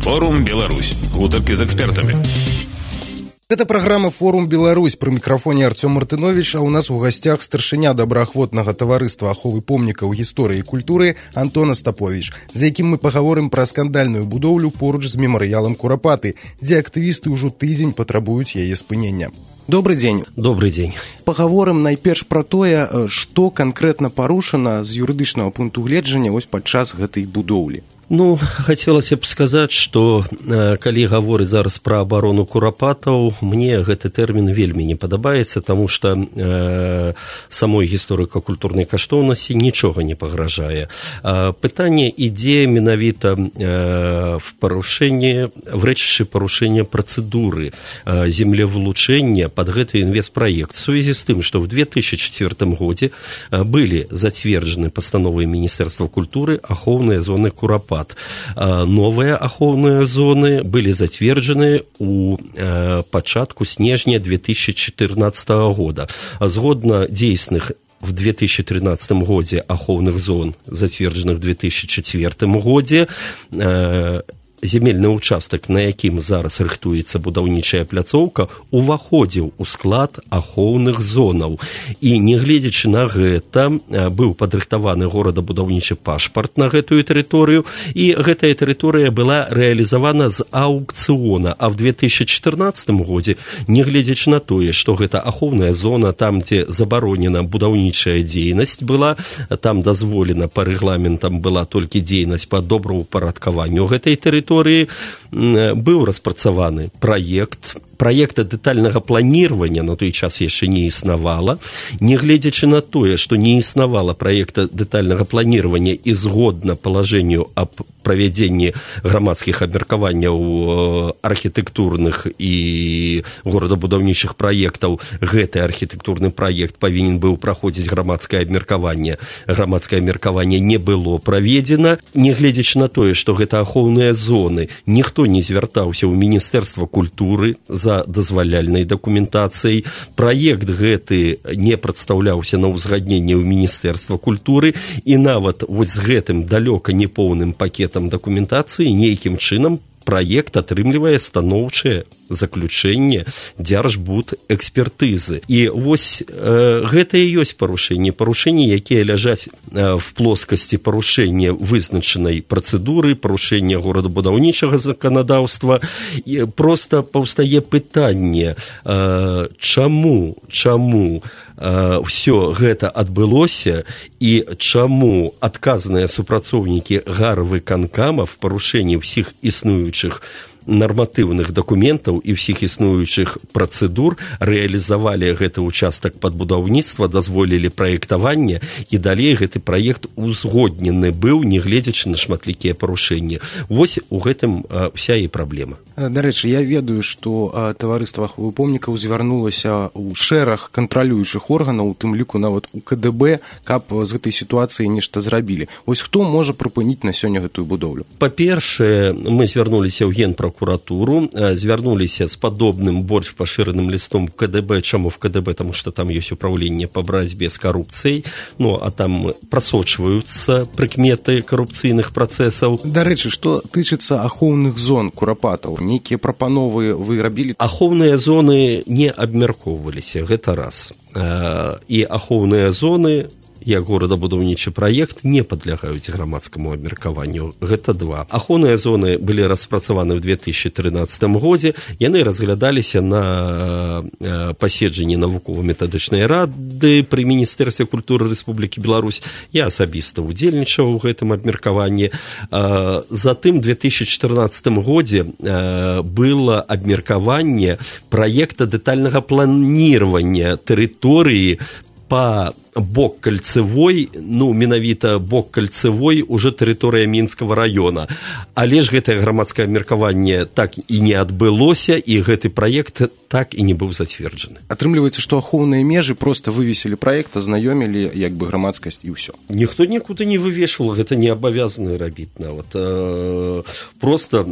Форум Беларусь. Гутаркі з экспертамі. Гэта праграма «Форум Беларусь». Пры мікрафоне Артём Мартынович, а ў нас у гасцях старшыня добраахвотнага таварыства аховы помнікаў гісторыі і культуры Антон Остапович, за якім мы пагаворым пра скандальную будоўлю поруч з мемарыялам Курапаты, дзе актывісты ўжо тыдзень патрабуюць яе спынення. Добрый дзень. Добрый дзень. Пагаворым найперш пра тое, што канкрэтна парушана з юрыдычнага пункту гледжання вось падчас гэтай будоўлі. Ну, хацелася б сказаць, што калі гаворыць зараз пра абарону курапатаў, мне гэты тэрмін вельмі не падабаецца, таму што самой гісторыка-культурнай каштоўнасці нічога не пагражае. Пытанне ідзе менавіта в рэчышчы парушэння працэдуры землевылучэння пад гэты інвестпраект. В сувязі з тым, што ў 2004 годзе былі зацверджаны пастановай Міністэрства культуры ахоўныя зоны Курапат. Новыя ахоўныя зоны былі зацверджаны у пачатку снежня 2014 года. Згодна дзейсных в 2013 годзе ахоўных зон, зацверджаных в 2004 годзе, земельны ўчастак, на якім зараз рыхтуецца будаўнічая пляцоўка, уваходзіў у склад ахоўных зонаў. І, нягледзячы на гэта, быў падрыхтаваны горадабудаўнічы пашпарт на гэтую тэрыторыю, і гэтая тэрыторыя была рэалізавана з аўкцыёна. А в 2014 годзе, нягледзячы на тое, што гэта ахоўная зона, там, дзе забаронена будаўнічая дзейнасць была, там дазволена па рэгламентам была толькі дзейнасць па добраўпарадкаванню гэтай тэрыторыі, быў распрацаваны праекта дэтальнага планирования на той час яшчэ не існавала. Нягледзячы на тое, што не існавала праекта дэтальнага планирования і згодна палажэнню аб правядзенні грамадскіх абмеркаванняў архітэктурных і горадабудаўнічых праектаў, гэты архітэктурны праект павінен быў праходзіць грамадскае абмеркаванне. Грамадскае абмеркаванне не было праведзена. Нягледзячы на тое, што гэта ахоўныя зоны, ніхто не звяртаўся ў Міністэрства культуры за дазваляльнай дакументацыяй. Праект гэты не прадстаўляўся на ўзгадненне ў Міністэрства культуры, і нават вось з гэтым далёка непоўным пакетам дакументацыі нейкім чынам праект атрымлівае станоўчае заключэнне дзяржбудэкспертызы. І вось гэта і ёсць парушэнні, якія ляжаць в плоскасці парушэння вызначанай працэдуры, парушэння горадабудаўнічага заканадаўства. І проста паўстае пытанне, чаму ўсё гэта адбылося і чаму адказаныя супрацоўнікі гарвыканкама в парушэнні ўсіх існуючых нарматыўных дакументаў і ўсіх існуючых працэдур рэалізавалі гэты ўчастак пад будаўніцтва, дазволілі праектаванне, і далей гэты праект узгоднены быў, нягледзячы на шматлікія парушэнні. Вось у гэтым вся і праблема. Дарэчы, я ведаю, што таварыства аховы помнікаў звярнулася ў шэраг кантралюючых органаў, у тым ліку нават у КДБ, каб з гэтай сітуацыі нешта зрабілі. Вось хто можа прыпыніць на сёння гэтую будоўлю? Па-першае, мы звярнуліся ў Генпракуратуру, звярнуліся з падобным больш пашыраным лістом в КДБ. Чаму в КДБ? Таму што там ёсць управленне па барацьбе з карупцыяй, ну, а там прасочваюцца прыкметы карупцыйных працэсаў. Дарэчы, што тычыцца ахоўных зон Курапатаў, нейкія прапановы вы рабілі? Ахоўныя зоны не абмяркоўваліся, гэта раз. І ахоўныя зоны, як горадабудаўнічы праект, не падлягаюць грамадскаму абмеркаванню. Гэта два. Ахоўныя зоны былі распрацаваны ў 2013 годзе. Яны разглядаліся на паседжанні навукова-метадычнай рады пры Міністэрстве культуры Рэспублікі Беларусь. Я асабіста ўдзельнічаў у гэтым абмеркаванні. Затым у 2014 годзе было абмеркаванне праекта дэтальнага планирования тэрыторыі па бок кальцевой, ну, менавіта бок кальцевой, уже тэрыторыя Мінскага района. Але ж гэтае грамадскае абмеркаванне так і не адбылося, і гэты праект так і не быў зацверджаны. Атрымліваецца, што ахоўныя межы проста вывесілі праект, азнаёмілі як бы грамадскасць і ўсё. Ніхто нікуды не вывешваў, гэта не абавязаны рабіць нават. Проста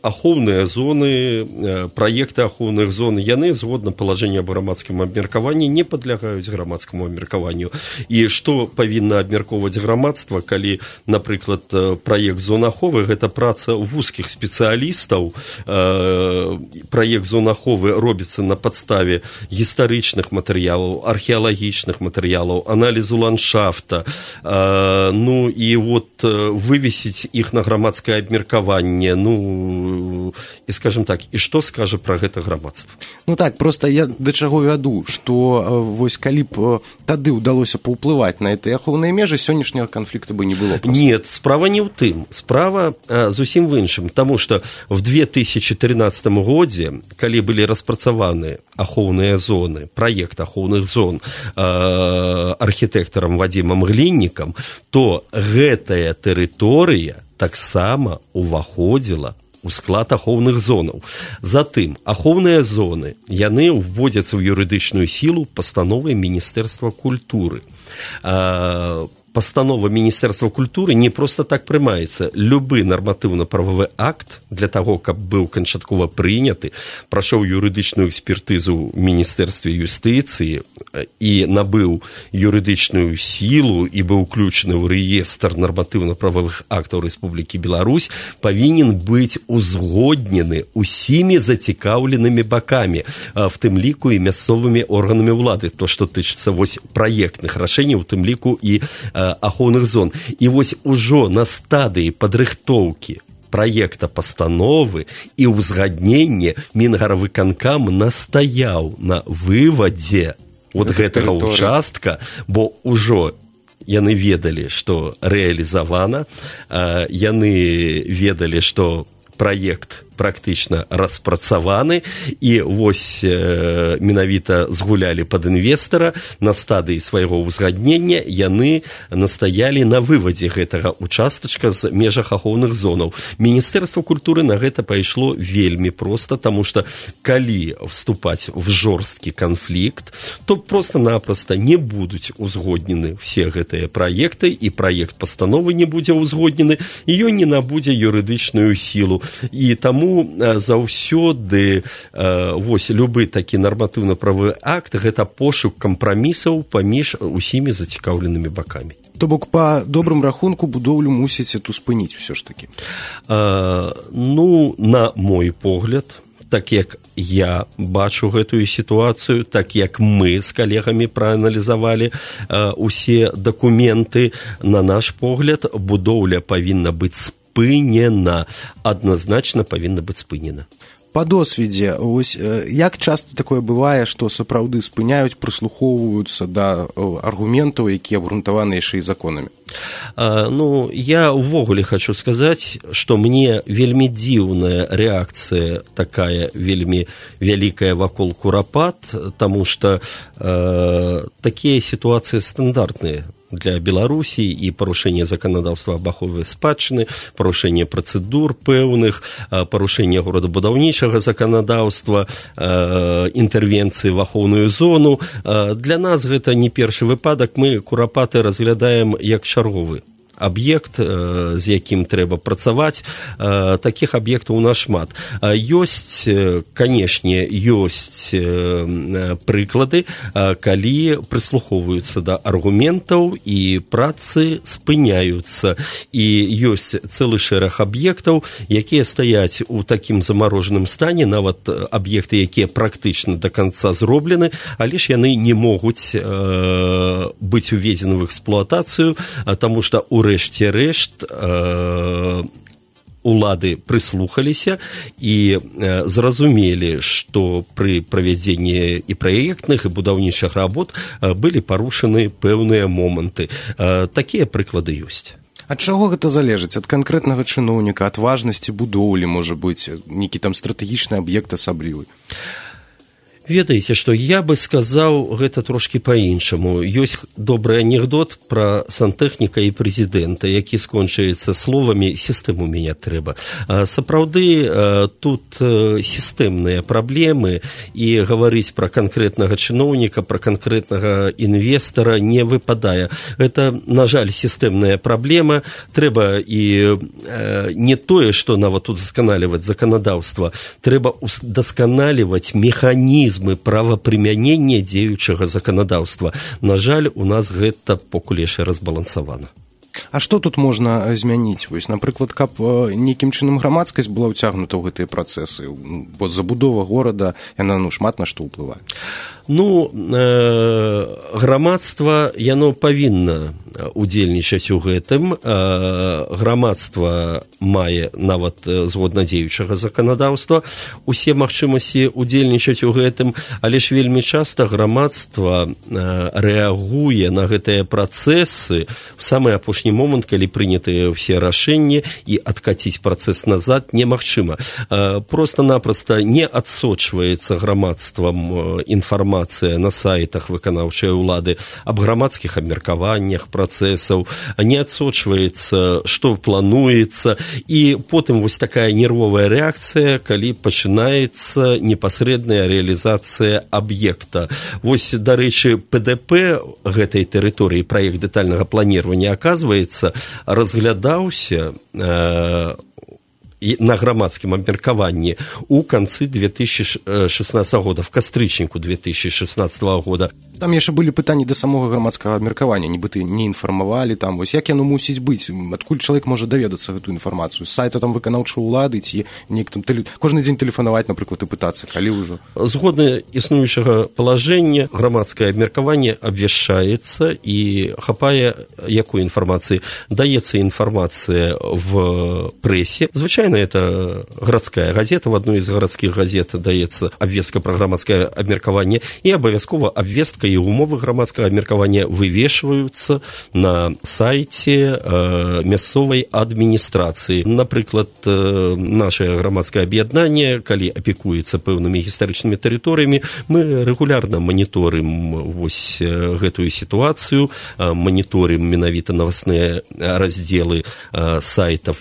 ахоўныя зоны, праекты ахоўных зон, яны згодна палажэння аб грамадскім абмеркаванні не падлягаюць грамадскаму грамадскаму абмеркаванню. І што павінна абмяркоўваць грамадства, калі, напрыклад, праект зон аховы – гэта праца вузкіх спецыялістаў. Праект зон аховы робіцца на падставе гістарычных матэрыялаў, археалагічных матэрыялаў, аналізу ландшафта. Ну, і вот вывесіць іх на грамадскае абмеркаванне, ну, і, скажем так, і што скажа пра гэта грамадства? Ну так, просто я да чаго вяду, што вось калі б тады ўдалося паўплываць на гэтыя ахоўныя межы, сённяшняга канфлікта бы не было. Просто. Нет, справа не ў тым. Справа зусім в іншым, таму што в 2013 годзе, калі былі распрацаваны ахоўныя зоны, праект ахоўных зон архітэктарам Вадзімам Гліннікам, то гэтая тэрыторыя таксама уваходзіла у склад ахоўных зонаў. Затым, ахоўныя зоны, яны ўводзяцца ў юрыдычную сілу пастановай Міністэрства культуры. Пастанова Міністэрства культуры не проста так прымаецца. Любы нарматыўна-прававы акт для таго, каб быў канчаткова прыняты, прайшоў юрыдычную экспертызу ў Міністэрстве юстыцыі і набыў юрыдычную сілу і быў уключаны ў рэестр нарматыўна-прававых актаў Рэспублікі Беларусь, павінен быць узгоднены усімі зацікаўленымі бакамі, в тым ліку і мясцовымі органамі ўлады, то, што тычыцца вось праектных рашэнняў, у тым ліку і ахоўных зон. І вось ужо на стадыі падрыхтоўкі праекта пастановы і ўзгаднення Мінгарвыканкам настаяў на вывадзе вот гэтага участка, бо ўжо яны ведалі, што рэалізавана, яны ведалі, што праект практычна распрацаваны, і вось менавіта згулялі пад інвестара, на стадыі свайго ўзгаднення яны настаялі на вывадзе гэтага участачка з межах ахоўных зонаў. Міністэрства культуры на гэта пайшло вельмі проста, таму што калі вступаць в жорсткі канфлікт, то проста-напроста не будуць узгоднены все гэтыя праекты, і праект пастановы не будзе ўзгоднены, і ён не набудзе юрыдычную сілу. І таму заўсёды вось любы такі нарматыўна-правы акт – гэта пошук кампрамісаў паміж усімі зацікаўленымі бакамі. То бок, па добрым рахунку, будоўлю мусіць эту спыніць усё ж такі? Ну, на мой погляд, так як я бачу гэтую сітуацыю, так як мы з калегамі прааналізавалі усе дакументы, на наш погляд, будоўля павінна быць спынена, адназначна павінна быць спынена. Па досведзе, ось, як часта такое бывае, што сапраўды спыняюць, прыслухоўваюцца да аргументаў, якія абгрунтаваны яшчэ і законамі? Ну, я ўвогуле хочу сказаць, што мне вельмі дзіўная рэакцыя такая вельмі вялікая вакол Курапат, таму што такія сітуацыі стандартныя для Беларусі, і парушэнне заканадаўства аб ахове спадчыны, парушэнне працэдур пэўных, парушэнне горадабудаўнічага заканадаўства, інтэрвенцыі в ахоўную зону. Для нас гэта не першы выпадак, мы Курапаты разглядаем як чарговы аб'ект, з якім трэба працаваць. Такіх аб'ектаў у нас шмат. Ёсць, канешне, ёсць прыклады, калі прыслухоўваюцца да аргументаў і працы спыняюцца. І ёсць цэлы шэраг аб'ектаў, якія стаяць у такім замарожаным стане, нават аб'екты, якія практычна да канца зроблены, але ж яны не могуць быць уведзены в эксплуатацыю, таму што урэшце рэшт улады прыслухаліся і зразумелі, што пры правядзенні і праектных, і будаўнічых работ былі парушаны пэўныя моманты. Такія прыклады ёсць. Ад чаго гэта залежыць? Ад канкрэтнага чыноўніка, ад важнасці будоўлі, можа быць, нейкі там стратэгічны аб'ект асаблівы? Ведаеце, што я бы сказаў гэта трошкі па-іншаму. Ёсць добры анекдот пра сантэхніка і прэзідэнта, які скончаецца словамі «сістэму мяняць трэба». Сапраўды, тут сістэмныя праблемы, і гаварыць пра канкрэтнага чыноўніка, пра канкрэтнага інвестара не выпадае. Гэта, на жаль, сістэмная праблема. Трэба і не тое, што нават удасканаліваць заканадаўства, трэба удасканаліваць механізм механізмы правапрымянення дзеючага заканадаўства. На жаль, у нас гэта покуль яшчэ разбалансавана. А што тут можна змяніць? Вось, напрыклад, каб нейкім чынам грамадскасць была ўцягнута ў гэтыя працэсы, бо забудова горада, яна шмат на што ўплывае. Грамадства, яно павінна удзельнічаць у гэтым. Грамадства мае нават згодна дзеючага заканадаўства усе магчымасці удзельнічаць у гэтым, але ж вельмі часта грамадства рэагуе на гэтыя працэсы в самы апошні момант, калі прынятыя ўсе рашэнні, і адкаціць працэс назад немагчыма. Проста-напроста не адсочваецца грамадствам інфармацыя на сайтах выканаўчай улады аб грамадскіх абмеркаваннях працэсаў, не адсочваецца, што плануецца, і потым вось такая нервовая рэакцыя, калі пачынаецца непасрэдная рэалізацыя аб'екта. Вось, дарэчы, ПДП гэтай тэрыторыі, праект дэтальнага планирования, оказывается, разглядаўся на грамадскім абмеркаванні у канцы 2016 года, в кастрычніку 2016 года. Там яшчэ былі пытанні да самога грамадскага абмеркавання, нібыта не інфармавалі, там, вось як яно мусіць быць, адкуль чалавек можа даведацца гэтую інфармацыю, з сайта там выканаўчай улады, ці кожны дзень тэлефанаваць, напрыклад, і пытацца, калі ўжо. Згодна існуючага палажэння, грамадскае абмеркаванне абвяшчаецца і хапае якой інфармацыі. Даецца інфармацыя в прэсе. Звычайна это гарадская газета, в адной з гарадскіх газет даецца абвестка пра грамадскае абмеркаванне, і абавязкова абвестка і умовы грамадскага абмеркавання вывешваюцца на сайце мясцовай адміністрацыі. Напрыклад, нашае грамадскае аб'яднанне, калі апекуецца пэўнымі гістарычнымі тэрыторыямі, мы рэгулярна маніторым вось гэтую сітуацыю, маніторым менавіта новостныя раздзелы сайтаў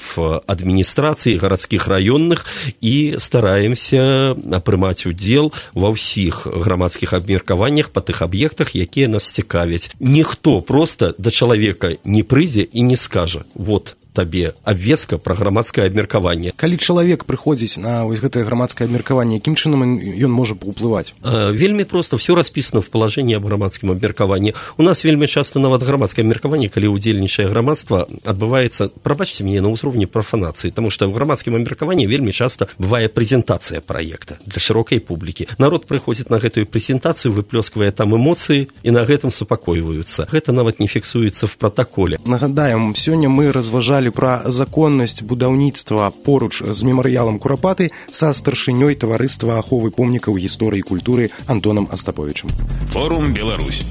адміністрацыі, гарадскіх раённых, і стараемся прымаць удзел ва ўсіх грамадскіх абмеркаваннях па тых аб'ектах, якія нас цікавяць. Ніхто проста да чалавека не прыйдзе і не скажа: вот табе абвестка пра грамадскае абмеркаванне. Калі чалавек прыходзіць на вось гэтае грамадскае абмеркаванне, якім чынам ён можа паўплываць? Вельмі проста, все распісана в палажэнні аб грамадскім абмеркаванні. У нас вельмі часта нават грамадскае абмеркаванне, калі ўдзельнічае грамадства, адбываецца, прабачце мяне, на ўзроўні прафанацыі, таму што ў грамадскім абмеркаванні вельмі часта бывае прэзентацыя праекта для шырокай публікі. Народ прыходзіць на гэтую прэзентацыю, выплёсквае там эмоцыі і на гэтым супакойваюцца. Гэта нават не фіксуецца в пратаколе. Нагадаем, сёння мы разважалі пра законнасць будаўніцтва поруч з мемарыялам Курапаты са старшынёй таварыства аховы помнікаў гісторыі і культуры Антонам Астаповічам. Форум Беларусь.